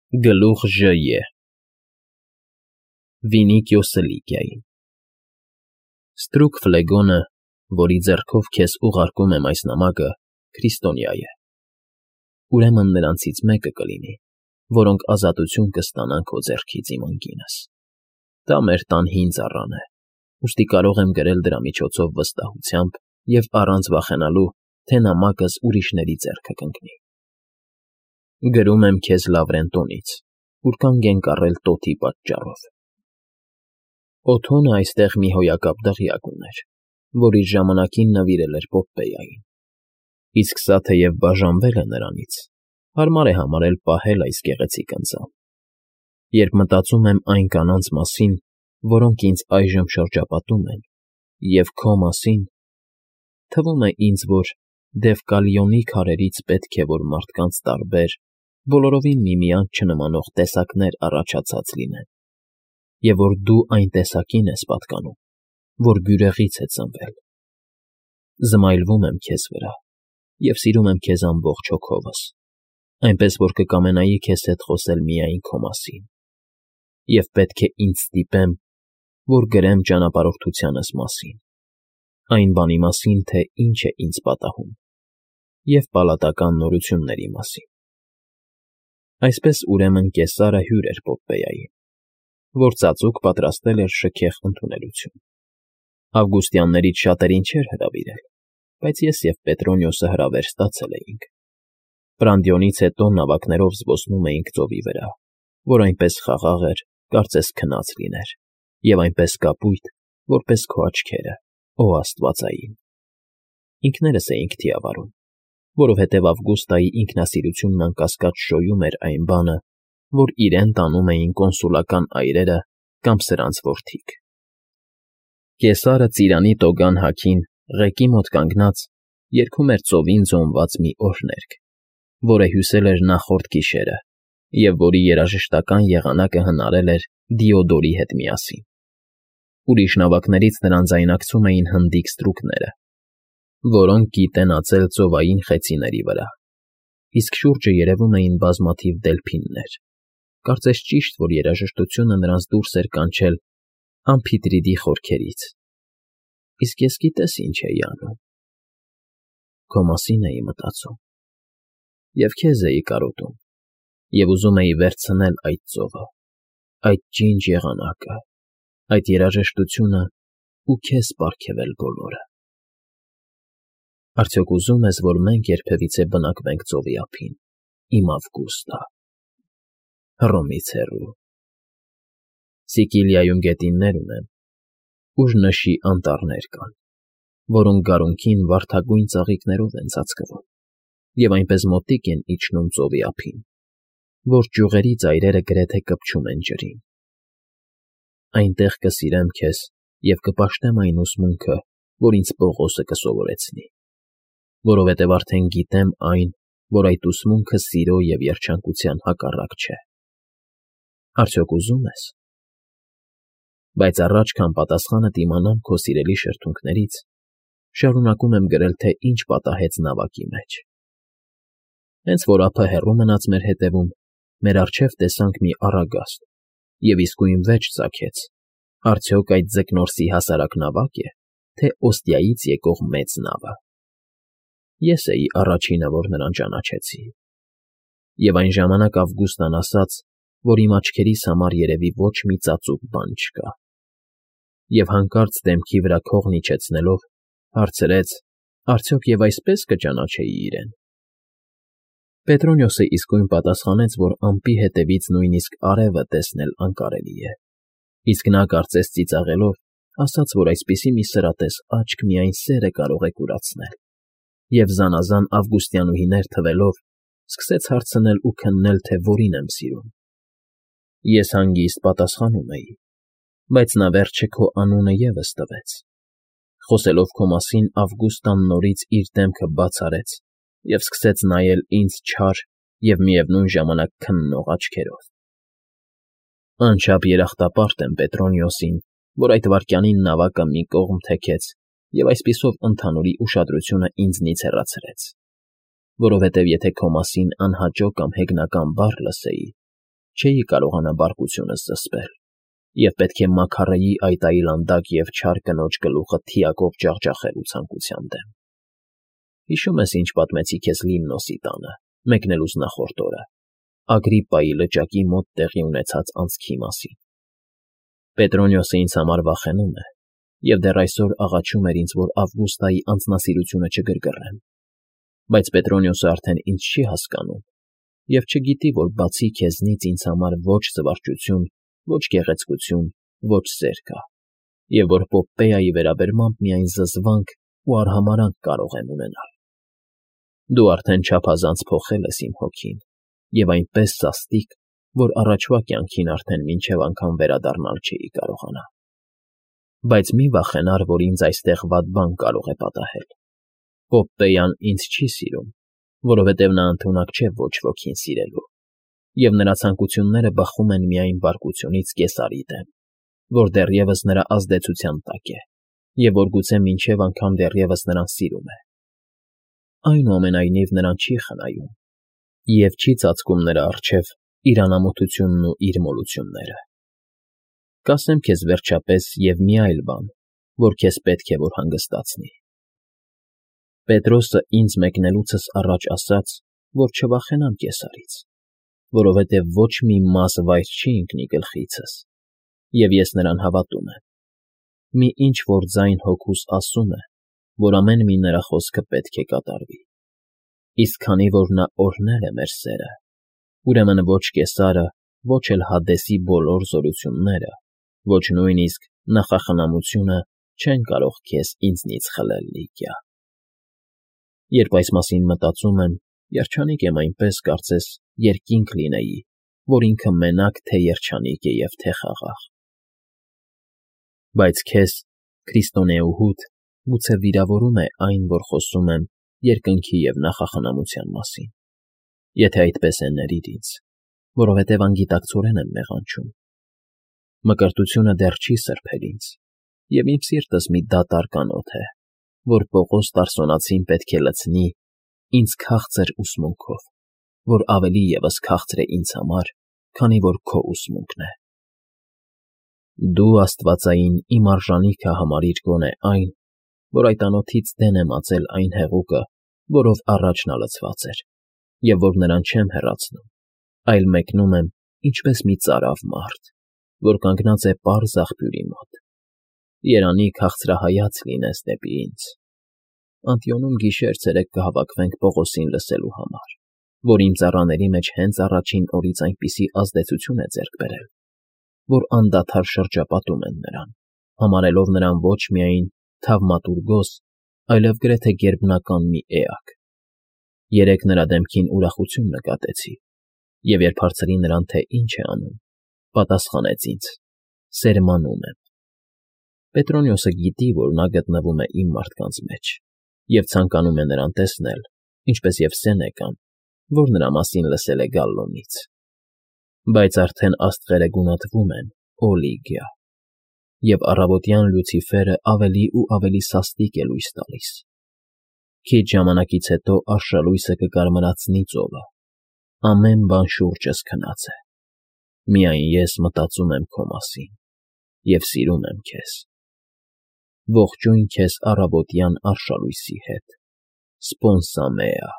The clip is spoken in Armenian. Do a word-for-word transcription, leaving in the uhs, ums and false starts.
Գլուխ Ժ. Վինիկիո Սլիգիային Ստրուկ Ֆլեգոնը, որի ձեռքով քեզ ուղարկում եմ այս նամակը, քրիստոնյա է, ուրեմն նրանցից մեկը կլինի, որոնք ազատություն կստանան քո ձեռքից, իմ անկինս, դա մեր տան հին ծառան է, ուստի կարող եմ գրել դրա միջոցով վստահությամբ և առանց վախենալու, թե նամակս ուրիշների ձեռքը կընկնի։ Գրում եմ քեզ Լավրենտոնից, ուր կանգ ենք առել տոթի պատճառով։ Օթոնը այստեղ մի հոյակապ դղյակ ուներ, որ իր ժամանակին նվիրել էր Պոպպեյային, իսկ սա թեև բաժանվել է նրանից, հարմար է համարել պահել այս գեղեցիկ ընծան։ Երբ մտածում եմ այն կանանց մասին, որոնք ինձ այժմ շրջապատում են, և քո մասին, թվում է ինձ, որ Դևկալիոնի քարերից պետք է որ մարդկանց տարբեր, բոլորովին միմյանց չնմանող տեսակներ առաջացած լինեն, և որ դու այն տեսակին ես պատկանում, որ բյուրեղից է ծնվել։ Զմայլվում եմ քեզ վրա և սիրում եմ քեզ ամբողջ հոգովս, այնպես որ կկամենայի քեզ հետ խոսել միայն քո մասին, և պետք է ինձ ստիպեմ, որ գրեմ ճանապարհորդությանս մասին, այն բանի մասին, թե ինչ է ինձ պատահում, և պալատական նորությունների մասին։ Այսպես, ուրեմն, կեսարը հյուր էր Պոպպեյային, որ ծածուկ պատրաստել էր շքեղ ընդունելություն։ Ավգուստյաններից շատերին չէր հրավիրել, բայց ես և Պետրոնիոսը հրավեր ստացել էինք։ Պրանդիոնից հետո նավակներով զբոսնում էինք ծովի վրա, որ այնպես խաղաղ էր, կարծես քնած լիներ, և այնպես կապույտ, որպես քո աչքերը, օ աստվածային։ Ինքներս էինք թիավարում, որովհետև Ավգուստայի ինքնասիրությունն անկասկած շոյում էր այն բանը, որ իրեն տանում էին կոնսուլական այրերը կամ սրանց որդիք։ Կեսարը ծիրանի տոգան հագին, ղեկի մոտ կանգնած, երգում էր ծովին ձոնված մի օրհներգ, որը հյուսել էր նախորդ գիշերը և որի երաժշտական եղանակը հնարել էր Դիոդորի հետ միասին։ Ուրիշ նավակներից նրան ձայնակցում էին հնդիկ ստրուկները, որոնք գիտենածել ծովային խեցիների վրա, իսկ շուրջը երևում էին բազմաթիվ դելփիններ, կարծես ճիշտ, որ երաժշտությունը նրանց դուրս էր կանչել Ամփիտրիդի խորքերից, իսկ ես գիտես ինչ էի անում. քո մասին էի մտածում, և քեզ էի կարոտում, և ուզում էի վերցնել այդ ծովը, այդ ջինջ եղանակը, այդ երաժշտությունը ու քեզ պարգևել բոլորը։ Արդյոք ուզում ես, որ մենք երբևիցե բնակվենք ծովի ափին, իմ Ավգուստա, Հռոմից հեռու։ Սիկիլիայում գետիններ ունեմ, ուր նշի անտառներ կան, որոնք գարունքին վարդագույն ծաղիկներով են ծածկվում և այնպես մոտիկ են իջնում ծովի ափին, որ ճյուղերի ծայրերը գրեթե կպչում են ջրին։ Այնտեղ կսիրեմ քեզ և կպաշտեմ այն ուսմունքը, որ ինձ Պողոսը կսովորեցնի, որովհետև արդեն գիտեմ այն, որ այդ ուսմունքը սիրո և երջանկության հակառակ չէ։ Արդյոք ուզում ես։ Բայց առաջ, քան պատասխանդ իմանամ քո սիրելի շրթունքներից, շարունակում եմ գրել, թե ինչ պատահեց նավակի մեջ։ Հենց որ ափը հեռու մնաց մեր հետևում, մեր առջև տեսանք մի առագաստ և իսկույն վեճ ծագեց. արդյոք այդ ձկնորսի հասարակ նավա՞կ է, թե Օստիայից եկող մեծ նավը։ Ես էի առաջինը, որ նրան ճանաչեցի, և այն ժամանակ Ավգուստան ասաց, որ իմ աչքերիս համար երևի ոչ մի ծածուկ բան չկա, և հանկարծ դեմքի վրա քողն իջեցնելով, հարցրեց. արդյոք և այսպես կճանաչեի իրեն։ Պետրոնիոսը իսկույն պատասխանեց, որ ամպի հետևից նույնիսկ արևը տեսնել անկարելի է, իսկ նա, կարծես ծիծաղելով, ասաց, որ այսպիսի մի սրատես աչք միայն սերը կարող է կուրացնել, և զանազան ավգուստյանուհիներ թվելով, սկսեց հարցնել ու քննել, թե որին եմ սիրում։ Ես հանգիստ պատասխանում էի, բայց նա վերջը քո անունը ևս տվեց։ Խոսելով քո մասին, Ավգուստան նորից իր դեմքը բաց արեց և սկսեց նայել ինձ չար և միևնույն ժամանակ քննող աչքերով։ Անչափ երախտապարտ եմ Պետրոնիոսին, որ այդ վայրկյանին նավակը մի կողմ թեքեց և այսպիսով ընդհանուրի ուշադրությունը ինձնից հեռացրեց, որովհետև եթե քո մասին անհաճո կամ հեգնական բառ լսեի, չէի կարողանա բարկությունս զսպել և պետք է մաքարեի այդ այլանդակ և չար կնոջ գլուխը թիակով ջախջախելու ցանկության դեմ։ Հիշո՞ւմ ես, ինչ պատմեցի քեզ Լիմնոսի տանը, մեկնելուց նախորդ օրը, Ագրիպպայի լճակի մոտ տեղի ունեցած անցքի մասին։ Պետրոնիոսը ինձ համար վախենում է և դեռ այսօր աղաչում էր ինձ, որ Ավգուստայի անձնասիրությունը չգրգռեմ, բայց Պետրոնիոսը արդեն ինձ չի հասկանում և չգիտի, որ բացի քեզնից ինձ համար ոչ զվարճություն, ոչ գեղեցկություն, ոչ սեր կա, և որ Պոպպեայի վերաբերմամբ միայն զզվանք ու արհամարհանք կարող եմ ունենալ։ Դու արդեն չափազանց փոխել ես իմ հոգին և այնպես սաստիկ, որ առաջվա կյանքին արդեն մինչև անգամ վերադառնալ չէի կարողանա։ Բայց մի վախենար, որ ինձ այստեղ վատ բան կարող է պատահել։ Պոպպեյան ինձ չի սիրում, որովհետև նա ընդունակ չէ ոչ ոքին սիրելու, և նրա ցանկությունները բխում են միայն բարկությունից Կեսարի դեմ, որ դեռևս նրա ազդեցության տակ է և որ գուցե մինչև անգամ դեռևս նրան սիրում է։ Այնուամենայնիվ նրան չի խնայում և չի ծածկում նրա առջև իր անամոթությունն ու իր մոլությունները։ Կասեմ քեզ վերջապես և մի այլ բան, որ քեզ պետք է որ հանգստացնի։ Պետրոսը ինձ մեկնելուցս առաջ ասաց, որ չվախենամ Կեսարից, որովհետև ոչ մի մազ վայր չի ընկնի գլխիցս, և ես նրան հավատում եմ։ Մի ինչ֊որ ձայն հոգուս ասում է, որ ամեն մի նրա խոսքը պետք է կատարվի։ Իսկ քանի որ նա օրհնել է մեր սերը, ուրեմն ոչ Կեսարը, ոչ էլ Հադեսի բոլոր զորությունները, ոչ նույնիսկ նախախնամությունը չեն կարող քեզ ինձնից խլել, Լիկիա։ Երբ այս մասին մտածում եմ, երջանիկ եմ այնպես, կարծես երկինք լինեի, որ ինքը մենակ թե երջանիկ է և թե խաղաղ։ Բայց քեզ, քրիստոնեուհուդ, գուցե վիրավորում է այն, որ խոսում եմ երկնքի և նախախնամության մասին։ Եթե այդպես է, ների՛ր ինձ, որովհետև անգիտակցորեն եմ մեղանչում։ Մկրտությունը դեռ չի սրբել ինձ, և իմ սիրտս մի դատարկ անոթ է, որ Պողոս Տարսոնացին պետք է լցնի ինձ քաղցր ուսմունքով, որ ավելի ևս քաղցր է ինձ համար, քանի որ քո ուսմունքն է։ Դու աստվածային իմ արժանիքը համարիր գոնե այն, որ այդ անոթից դեն եմ ածել այն հեղուկը, որով առաջ նա լցված էր, և որ նրան չեմ հեռացնում, այլ մեկնում եմ ինչպես մի ծարավ մարդ, որ կանգնած է պարզ աղբյուրի մոտ։ Երանի քաղցրահայաց լինես դեպի ինձ։ Անտիոնում գիշեր֊ցերեկ կհավաքվենք Պողոսին լսելու համար, որ իմ ծառաների մեջ հենց առաջին օրից այնպիսի ազդեցություն է ձեռք բերել, որ անդադար շրջապատում են նրան, համարելով նրան ոչ միայն թավմատուրգոս, այլև գրեթե գերբնական մի էակ։ Երեկ նրա դեմքին ուրախություն նկատեցի, և երբ հարցրի նրան, թե ինչ է անում, պատասխանեց ինձ. «Սերմանում եմ»։ Պետրոնիոսը գիտի, որ նա գտնվում է իմ մարդկանց մեջ և ցանկանում է նրան տեսնել, ինչպես և Սենեկան, որ նրա մասին լսել է Գալլոնից։ Բայց արդեն աստղերը գունատվում են, օ Լիգիա, և առավոտյան Լյուցիֆերը ավելի ու ավելի սաստիկ է լույս տալիս։ Քիչ ժամանակից հետո արշալույսը կկարմրացնի ծովը, ամեն բան շուրջս քնած է։ Միայն ես մտածում եմ քո մասին և սիրում եմ քեզ։ Ողջույն քեզ առավոտյան արշալույսի հետ, Սպոնսա Մեա։